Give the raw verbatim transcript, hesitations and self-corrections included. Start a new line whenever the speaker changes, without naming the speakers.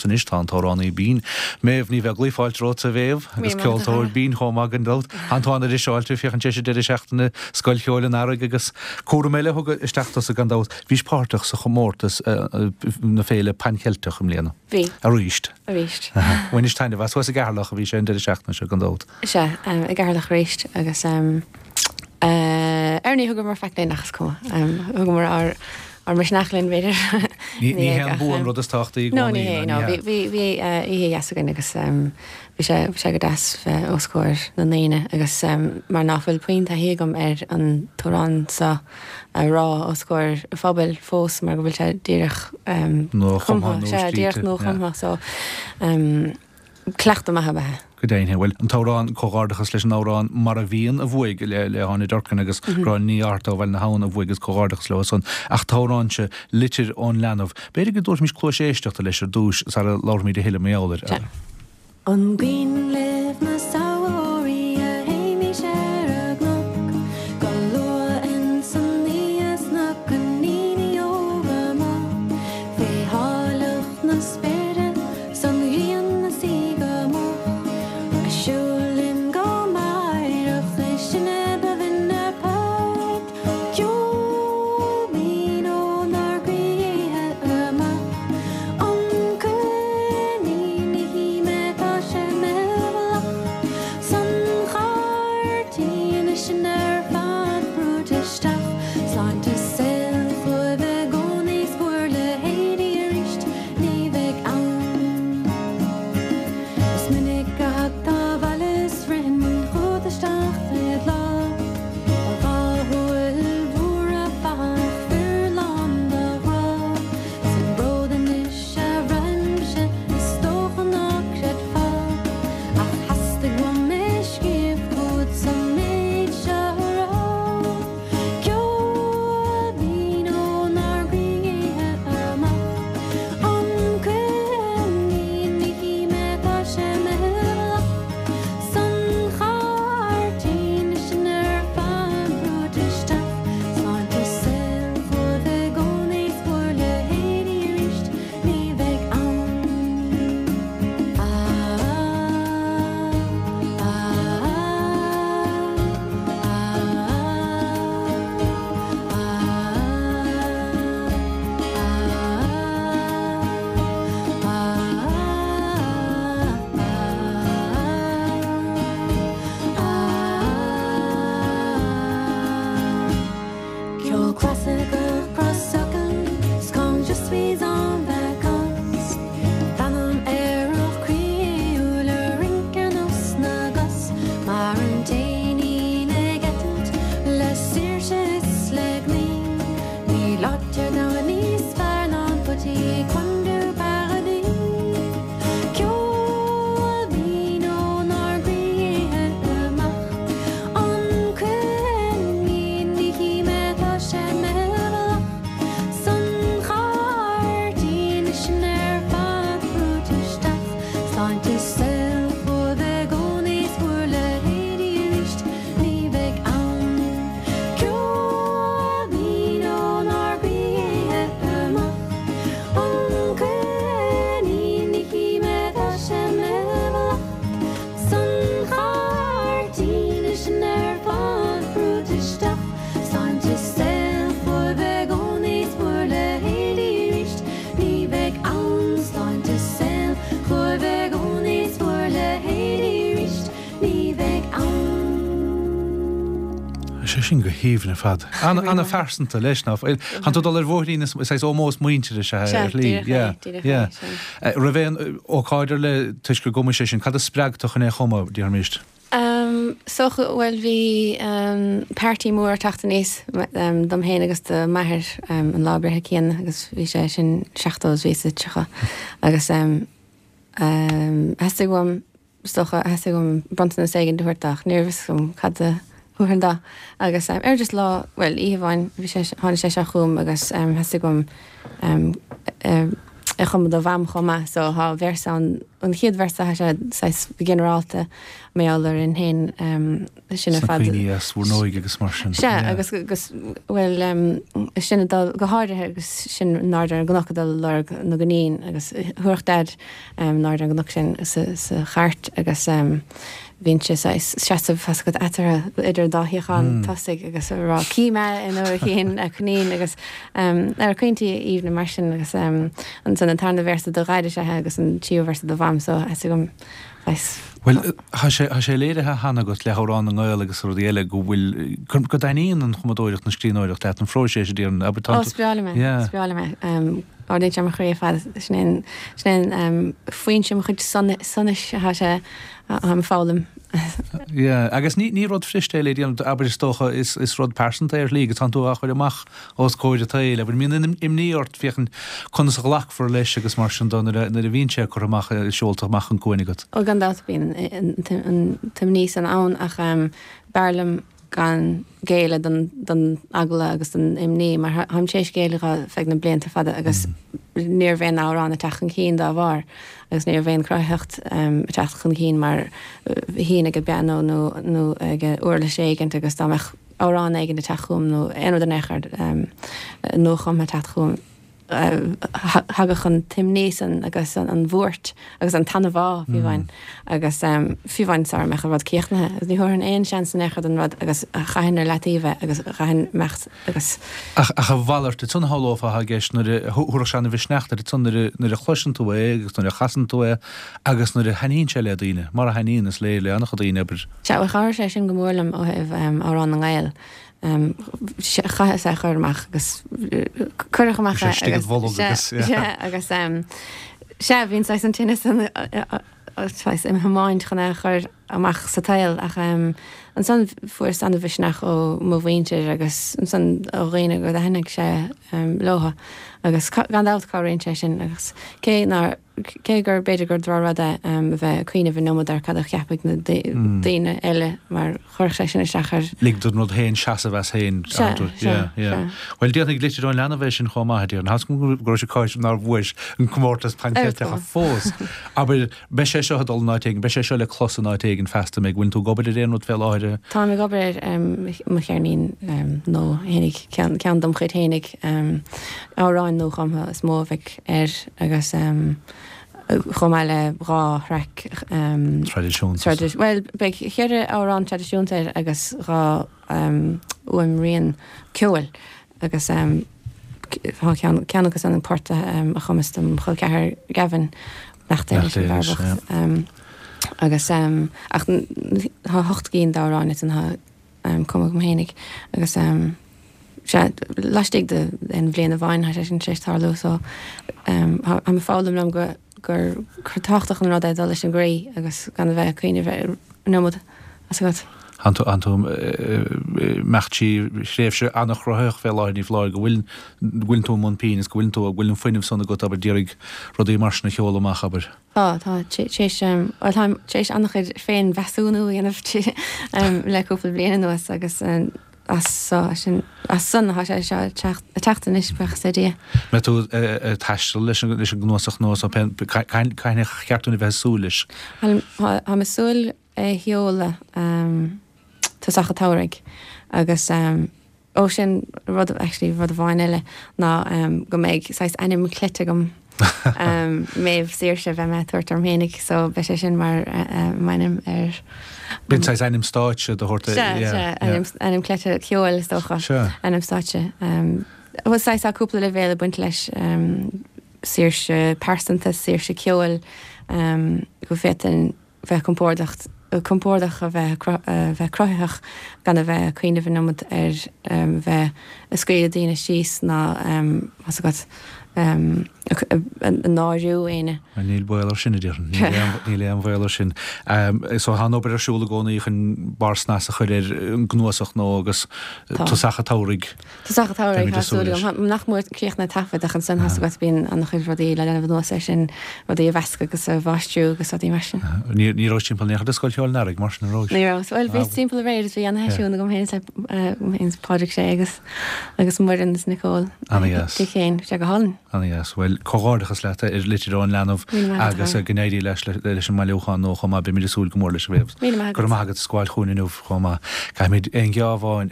liomsa anois tá an t-amhránaí binn Méabh Ní Bheaglaoich fáilte romhat a Mhéabh agus ceoltóir binn chomh maith gan dabht. Tá tú an-fhiseáilte féachaint leis an deireadh seachtaine Scoil Cheoil an Earraigh agus cúram eile a thugadh isteach tusa gan dabht. Bhís páirteach sa chomórtas na Féile Pan Cheilteach i mbliana.
Bhí.
Arís.
Arís.
Bhainis taitneamh as thuas i gCeatharlach a bhí sé an deireadh seachtaine seo gan dabht.
Sea, i gCeatharlach arís agus ar ní thugamar faic linn ach is cuma. Thugamar ár ár misneach linn b'fhéidir.
Ní ní hé an bua an rud is tábhachtaí i
No, ní
gcónaí,
hé,
ná
no.
ní
Bhí
hea.
bhí bhí oíche dheas againn agus bhí sé bhí sé go deas bheith os comhair na ndaoine agus mar ná fuil puinn taithí agam ar an t-amhrán seo a rá os comhair an phobail fós mar go bhfuil sé díreach
Nua-chumtha
cumtha,
nó
sea, díreach
scríte, yeah.
nua-chumtha so cleachtadh maith ab ea é.
Go deimhin, bhuel, an t-amhrán, comhghairdeachas leis an amhrán Mar a Bhíonn a bhuaigh le le hÁine Durkin agus Gráinne Ní Fhátharta ó Bhaile na hAbhann a bhuaigh agus comhghairdeachas leo san. Ach an t-amhrán seo, Litir ón Leanbh, b'fhéidir go dtabharfaimis cluas éisteachta leis ar dtús sara labharfaimid a thuilleadh mar gheall air.
Sea.
An cuimhin libh na samhraí a théimis ar an gcnoc go luath ins an oíche 's na coiníní óga amach fé áilleacht na spéire 's an ghrian ina suí go moch ag siúl linn go meidhreach is sinne ba bhinne port ceol binn ónár gcroíthe amach an coinín ní hí mé tá sé meidhleach san chairdín is sinn ar fad brúite isteach sláinte saoil chugaibh i gcónaí 's bhur leithéidí arís ní bheidh ann. Is minic a thagtá abhaile 's rithinn chugat isteach id lámh Do dhá shúil mhóra fathach fir lán de ghrá 'S an bród anois a bhraithimse is dócha ná creidfeá Ach theastaigh uaim é scríobh chugat 's an méid seo a rá Ceol binn ónár gcroíthe amach An coinín ní hí mé tá sé meidhleach San chairdín is sinn ar fad brúite isteach Sláinte saoil chugaibh i gcónaí 's bhur leithéidí arís ní bheidh ann. Ah, ah, Ceol clasaiceach crosfhocal 's quand je suis en vacances D'anam aerach croíúil a rince ar nós na gcos Mar an t-éinín ag eitilt le saoirse is le gnaoi Níl áit ar domhan níos fearr ná an petit coin du paradis Ceol binn ónár gcroíthe amach An coinín ní hí mé tá sé meidhleach San chairdín is sinn ar fad brúite isteach Sláinte saoil chugaibh i gcónaí 's bhur leithéidí arís ní bheidh ann. Ceol binn ónár gcroíthe amach An coinín ní hí mé tá sé meidhleach San chairdín is sinn ar fad brúite isteach Sláinte saoil chugaibh i gcónaí 's bhur leithéidí arís ní bheidh ann Sláinte saoil chugaibh i gcónaí 's bhur leithéidí arís ní bheidh ann.
Sé sin go haoibhinn ar fad. An-phearsanta leis ná Tá tú dul ar bhóithrín is is ómós muintire sé
Sea,
ar shlí.
díreach é, díreach é, sin.
Raibh aon ócáid ar le toisc gur chum sé sin, cad a spreag tú chun é a chumadh, déarfaimis.
Um, so bhuel bhí um, party mór teacht aníos um, dom féin agus do m'athair um, an lá breithe céanna agus bhí sé sin seachtó is bhí sa tríocha agus um, um, theastaigh uaim stocha theastaigh uaim bronntanas éigin a thabhairt ach ní raibh a fhios agam cad a thabharfainn dó agus um, ar just lá well oíche amháin bhí sé tháinig sé seo chugam agus um, theastaigh uaim um, uh, a chumadh do Mham chomh maith so tá véarsa ann, an chéad véarsa tá sé saghas ginearálta mar gheall orainn féin sin ar
Sna
fad.
cuimhní as bhur n-óige agus mar sin.
Sea, agus agus bhuel sin ag dul go háirithe agus sin in airde ar an gcnoc ag dul ag lorg na gcoinín agus thabharfadh Daid in airde ar an gcnoc sin sa sa chairt agus bhínnse saghas seasamh tá 's agat eatarthu idir an dá shuíochán tosaigh agus ag rá 'Cí mé an uair a chíonn coinín' agus ar chaointí aoibhne mar sin agus ansan an tarna véarsa do Dhaid is ea agus an tríú véarsa do Mham so tá 'fhios agam saghas.
Bhuel, tá sé, tá sé léirithe cheana agat le hAmhrán na nGael agus rudaí eile go bhfuil, go dtaitníonn an chumadóireacht, an scríbhneoireacht leat, an phróiseas a déarfainn, abair, tá
Ó, is breá liom é,
Yeah.
is breá liom é. Ardaíonn sé mo chroí ar fad, sin é an, sin é an foinse mo chuid sonais atá sé, táim ag foghlaim.
Yeah, agus ní, ní rud fuirist é le déanamh, abair, is dócha, is, is rud pearsanta é ar shlí agus tánn tú á chur amach os comhair an tsaoil, abair, mbíonn imní ort féachaint conas a ghlacfar leis agus mar sin de nuair a, nuair a bhíonn sé curtha amach, seolta amach an cúinne agat.
Ó, gan dabht bíonn an t-imní san ann ach b'fhearr liom gan géilleadh don, don eagla agus don imní mar táim tar éis géilleadh dó feadh na blianta fada agus ní raibh aon amhrán ag teacht chun cinn dá bharr agus ní raibh aon chruthaitheacht ag teacht chun cinn mar shuínn ag an bpianó nó, nó ag uirlis éigint agus dá mbeadh amhrán éigin ag teacht chugam nó aon rud in aon chor nuachumtha ag teacht chugam thagadh an t-imní san agus an bhuairt agus an t-anbhá, fiú amháin, agus fiú amháin sara mbeadh an rud críochnaithe. Agus ní thabharfainn aon seans in aon chor don rud agus chaithfinn ar leataobh é agus chaithfinn imeacht agus.
Ach a mhalairt, ansan shamhlófá atá i gceist nuair a thabharfadh sé an-mhisneach duit ansan nuair a nuair a chloiseann tú é agus nuair a chasann tú é agus nuair a thaitníonn sé le daoine, mar a thaitníonn, is léir, le an-chuid daoine, abair.
Sea, bhuel chabhraigh sé sin go mór liom ó thaobh Amhrán na nGael. Chaitheas é a chur amach agus cuireadh amach é agus sea, agus sea, bhí an saghas an tinneas san saghas im thiomáint chun é a chur amach sa tsaol ach ansan fuaireas an-mhisneach ó mo mhuintir agus ansan ó dhaoine go dtaitnigh sé leo agus gan dabht cabhraíonn sé sin agus cé nár Cé gur b'fhéidir gur drochrud é a bheith ag cuimhneamh an iomad ar cad a cheapfaidh na daoine eile mar chuirfeadh sé sin isteach ar.
Lig don rud féin seasamh as féin.
Sea, sea, sea.
Bhuel, déanfaidh litir ón leanbh é sin chomh maith, a déarfainn. Tá 's agam go raibh sé cáis nár bhuais an comórtas Pan Cheilteach fós. Abair, beidh sé seo ag dul in áit éigin, beidh sé seo le clos in áit éigin feasta, an bhfuil tú ag obair ar aon rud fé láthair?
Táim ag obair ar mo cheirnín nua fhéinig, ceann dom chuid fhéinig, amhráin nuachumtha is mó a bheidh air agus chomh maith le dhá thraic
traidisiúnta.
Bhuel, beidh ceithre amhrán traidisiúnta air agus dhá fhuaimrian ceoil agus tá ceann ceann acu san port a chumas dom chol ceathar Gavin, nach é leis an bhfear bocht. Agus ach tá ocht gcinn d'amhráin ansan atá cumtha agam fhéinig agus sea, laistigh de aon bhliain amháin tá sé sin tar éis tarlú so táim ag foghlaim liom go gur gur tábhachtach an rud é dul leis an gcroí agus gan a bheith ag cuimhneamh ar an iomad tá 's agat.
Tánn tú tánn tú ag imeacht trí thréimhse an-chruthaitheach fé láthair ní foláir go bhfuil go bhfuil tú i mbun pinn is go bhfuil tú go bhfuil an fuinneamh san agat abair d'iarraidh rudaí mar sin a sheoladh amach abair.
Tá, tá, tar éis, bhuel táim tar éis an-chuid féinmheasúnú a dhéanamh le cúpla bliain anuas agus as so, sin, as san atá sé seo ag teacht, ag teacht anois, buíochas le Dia.
Mbeidh tú ag taisteal leis an, leis an gcnuasach nua so cathain ar cheart dúinn a bheith ag súil leis?
Táim ag súil é a sheoladh tosach an tsamhraidh agus Ó sin rud, actually rud amháin eile ná go mbeidh saghas ainm cleite agam, Méabh Saoirse, beidh mé ag tabhairt orm fhéinig so beidh sé sin mar m'ainm ar.
B'in saghas ainm stáitse do thabhairt.
Sea, sea, ainm, ainm cleite ceoil is dócha.
Sea.
Ainm stáitse. Bhuel saghas tá cúpla leibhéal ag baint leis, saoirse pearsanta, saoirse ceoil, go bhféadfainn bheith compordach, compordach a bheith bheith cruthaitheach gan a bheith ag cuimhneamh an iomad ar bheith ag scaoileadh daoine síos ná tá 's agat ag náiriú éinne.
Níl baol air sin, a déarfainn. Níl aon bhaol air sin. So tá an obair ar siúl i gcónaí chun barr snas a chur ar an gcnuasach nua agus tosach an tsamhraidh.
Tosach an tsamhraidh, tá súil agam. Nach mór críochnaithe taifead ach ansan tá 's agat bíonn an-chuid rudaí le déanamh anuas air sin, rudaí a mheascadh agus a mháistriú agus rudaí mar sin.
Ní ní raibh timpeall in aon chor do Scoil Cheoil an Earraigh mar sin an raibh?
Ní raibh. Bhuel bhíos timpeall aréir is bhí ana-sheisiún agam féin le agam féin is Pádraig Sé agus agus Muireann is Nicole.
Ana-dheas.
Dick féin, bhí sé go hálainn.
Ana-dheas. Bhuel, Comhghairdeachas leat ar litir ón leanbh agus go n-éirí leis leis an mbailiúchán nua chomh maith. Beimid ag súil go mór leis a Mhéabh. Go raibh maith agat as gabháil chugainn inniu chomh maith. Caithfimid aon gheábh amháin.